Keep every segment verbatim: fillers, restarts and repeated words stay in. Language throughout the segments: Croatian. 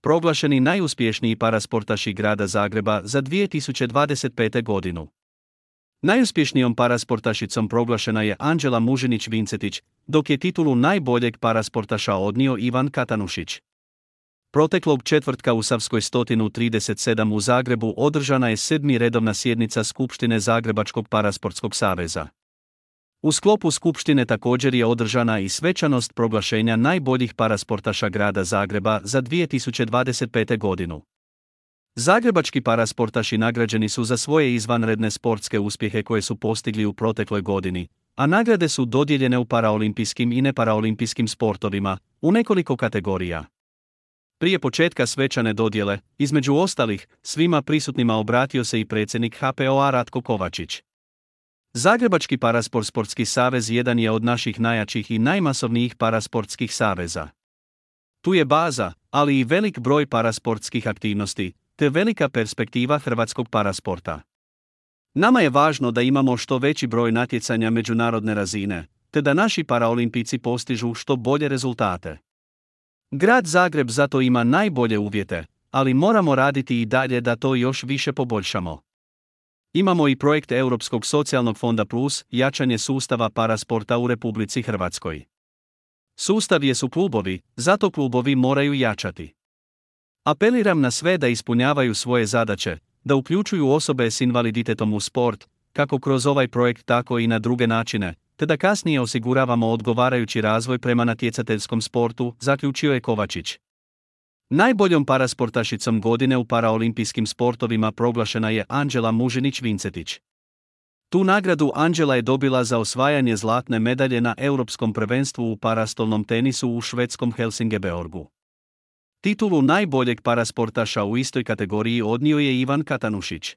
proglašeni najuspješniji parasportaši grada Zagreba za dvije tisuće dvadeset pete. godinu. Najuspješnijom parasportašicom proglašena je Anđela Mužinić-Vincetić, dok je titulu najboljeg parasportaša odnio Ivan Katanušić. Proteklog četvrtka u Savskoj sto trideset sedam u Zagrebu održana je sedma redovna sjednica Skupštine Zagrebačkog parasportskog saveza. U sklopu skupštine također je održana i svečanost proglašenja najboljih parasportaša grada Zagreba za dvije tisuće dvadeset pete. godinu. Zagrebački parasportaši nagrađeni su za svoje izvanredne sportske uspjehe koje su postigli u protekloj godini, a nagrade su dodijeljene u paraolimpijskim i neparaolimpijskim sportovima, u nekoliko kategorija. Prije početka svečane dodjele, između ostalih, svima prisutnima obratio se i predsjednik H P O A Ratko Kovačić. Zagrebački parasport sportski savez jedan je od naših najjačih i najmasovnijih parasportskih saveza. Tu je baza, ali i velik broj parasportskih aktivnosti, te velika perspektiva hrvatskog parasporta. Nama je važno da imamo što veći broj natjecanja međunarodne razine, te da naši paraolimpijci postižu što bolje rezultate. Grad Zagreb zato ima najbolje uvjete, ali moramo raditi i dalje da to još više poboljšamo. Imamo i projekt Europskog socijalnog fonda plus, jačanje sustava parasporta u Republici Hrvatskoj. Sustav jesu klubovi, zato klubovi moraju jačati. Apeliram na sve da ispunjavaju svoje zadaće, da uključuju osobe s invaliditetom u sport, kako kroz ovaj projekt tako i na druge načine, te da kasnije osiguravamo odgovarajući razvoj prema natjecateljskom sportu, zaključio je Kovačić. Najboljom parasportašicom godine u paraolimpijskim sportovima proglašena je Anđela Mužinić-Vincetić. Tu nagradu Anđela je dobila za osvajanje zlatne medalje na Europskom prvenstvu u parastolnom tenisu u švedskom Helsingeborgu. Titulu najboljeg parasportaša u istoj kategoriji odnio je Ivan Katanušić.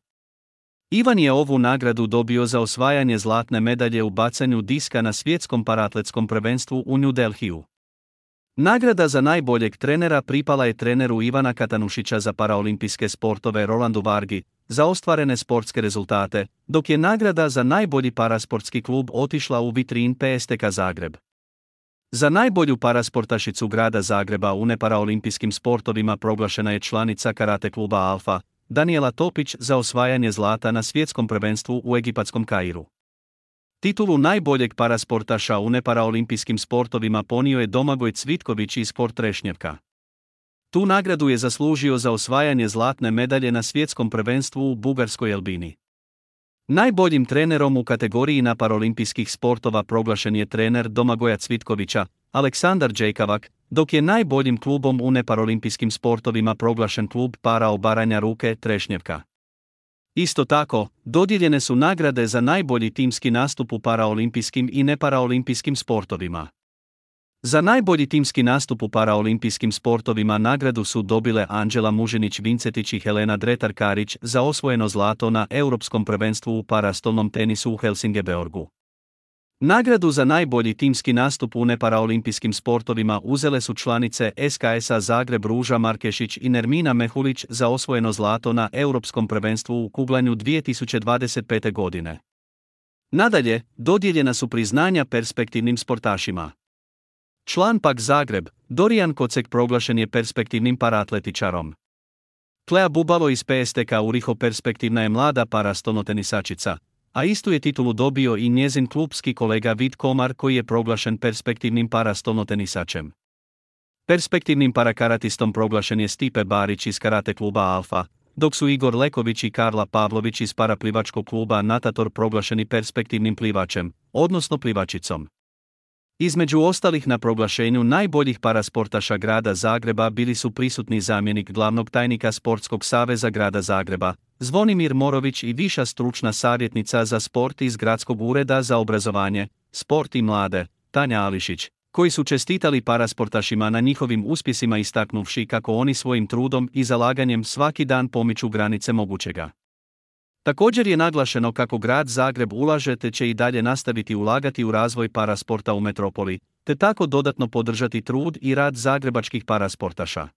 Ivan je ovu nagradu dobio za osvajanje zlatne medalje u bacanju diska na svjetskom paraatletskom prvenstvu u New Delhiju. Nagrada za najboljeg trenera pripala je treneru Ivana Katanušića za paraolimpijske sportove Rolandu Vargi, za ostvarene sportske rezultate, dok je nagrada za najbolji parasportski klub otišla u vitrin P S T K Zagreb. Za najbolju parasportašicu grada Zagreba u neparaolimpijskim sportovima proglašena je članica karate kluba Alfa, Daniela Topić, za osvajanje zlata na svjetskom prvenstvu u egipatskom Kairu. Titulu najboljeg parasportaša u neparaolimpijskim sportovima ponio je Domagoj Cvitković iz Sport Trešnjevka. Tu nagradu je zaslužio za osvajanje zlatne medalje na svjetskom prvenstvu u bugarskoj Elbini. Najboljim trenerom u kategoriji paraolimpijskih sportova proglašen je trener Domagoja Cvitkovića, Aleksandar Đejkavak, dok je najboljim klubom u neparaolimpijskim sportovima proglašen klub Parao Baranja Ruke Trešnjevka. Isto tako, dodijeljene su nagrade za najbolji timski nastup u paraolimpijskim i neparaolimpijskim sportovima. Za najbolji timski nastup u paraolimpijskim sportovima nagradu su dobile Anđela Mužinić-Vincetić i Helena Dretar-Karić za osvojeno zlato na Europskom prvenstvu u parastolnom tenisu u Helsingeborgu. Nagradu za najbolji timski nastup u neparaolimpijskim sportovima uzele su članice S K S-a Zagreb Ruža Markešić i Nermina Mehulić za osvojeno zlato na Europskom prvenstvu u kuglanju dvije tisuće dvadeset pete. godine. Nadalje, dodijeljena su priznanja perspektivnim sportašima. Član P A K Zagreb, Dorijan Kocek proglašen je perspektivnim paraatletičarom. Klea Bubalo iz P S T K Uriho perspektivna je mlada parastolnotenisačica, a istu je titulu dobio i njezin klubski kolega Vid Komar koji je proglašen perspektivnim parastolnotenisačem. Perspektivnim parakaratistom proglašen je Stipe Barić iz karate kluba Alfa, dok su Igor Leković i Karla Pavlović iz paraplivačkog kluba Natator proglašeni perspektivnim plivačem, odnosno plivačicom. Između ostalih na proglašenju najboljih parasportaša grada Zagreba bili su prisutni zamjenik glavnog tajnika Sportskog saveza grada Zagreba, Zvonimir Morović i viša stručna savjetnica za sport iz Gradskog ureda za obrazovanje, sport i mlade, Tanja Ališić, koji su čestitali parasportašima na njihovim uspjesima istaknuvši kako oni svojim trudom i zalaganjem svaki dan pomiču granice mogućega. Također je naglašeno kako grad Zagreb ulaže te će i dalje nastaviti ulagati u razvoj parasporta u metropoli, te tako dodatno podržati trud i rad zagrebačkih parasportaša.